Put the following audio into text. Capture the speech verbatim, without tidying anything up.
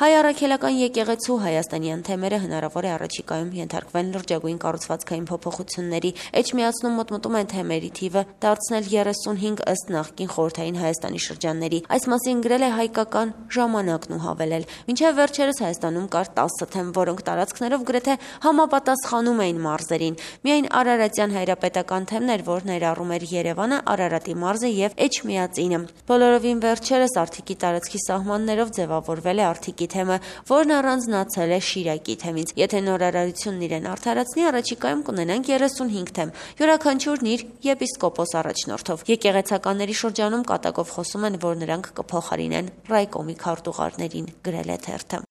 Հայ առաքելական եկեղեցու հայաստանյան թեմերը հնարավոր է առաջիկայում ենթարկվեն լրջագույն կառուցվածքային փոփոխությունների, էջմիածնում մոտմոտում են թեմերի թիվը դարձնել երեսունհինգ ըստ նախկին խորհրդային Հայաստանի շրջանների։ Այս մասին գրել է հայկական ժամանակն ու հավելել. մինչև վերջերս Հայաստանում կար տասը թեմ, որոնք տարածքներով գրեթե համապատասխանում էին մարզերին։ Միայն Արարատյան հայրապետական թեմն էր, որ ներառում էր Երևանը, Արարատի մարզը եւ Էջմիածինը։ Բոլորովին վերջերս Արթիկի տարածքի սահմաններով ձևավորվել է Արթիկի թեմը, որն առանձնացել է Շիրակի թեմից։ Եթե նոր արարությունն իրեն արդարացնի, առաջիկայում կունենանք երեսունհինգ թեմ, յուրաքանչյուրն իր եպիսկոպոս առաջնորդով։ Եկեղեցականների շրջանում կատակով խոսում են, որ նրանք կփոխարինեն ռայկոմի քարտուղարներին, գրել է թերթը։